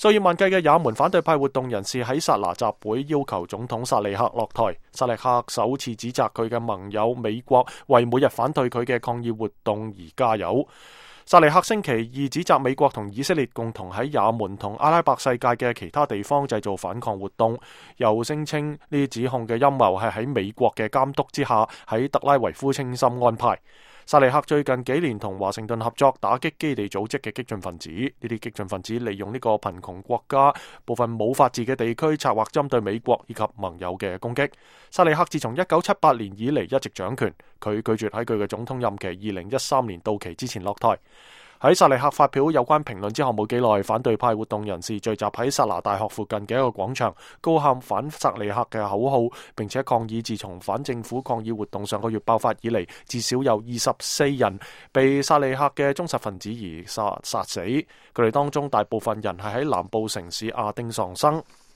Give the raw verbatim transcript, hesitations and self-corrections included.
數以萬計嘅也門反對派活動人士喺薩那集會，要求總統薩利克落台。薩利克首次指責佢嘅盟友美國為每日反對佢嘅抗議活動而加油。薩利克星期二指責美國同以色列共同喺也門同阿拉伯世界嘅其他地方製造反抗活動，又聲稱呢啲指控嘅陰謀係喺美國嘅監督之下喺特拉維夫精心安排。薩利克最近幾年同華盛頓合作打擊基地組織嘅激進分子，呢啲激進分子利用呢個貧窮國家部分冇法治嘅地區，策劃針對美國以及盟友嘅攻擊。薩利克自從一九七八年以嚟一直掌權，佢拒絕喺佢嘅總統任期二零一三年到期之前落台。喺薩利克發表有關評論之後冇幾耐，反對派活動人士聚集喺薩那大學附近嘅一個廣場，高喊反薩利克嘅口號，並且抗議自從反政府抗議活動上個月爆發以嚟，至少有二十四人被薩利克嘅忠實分子而殺殺死，佢哋當中大部分人係喺南部城市亞丁喪生。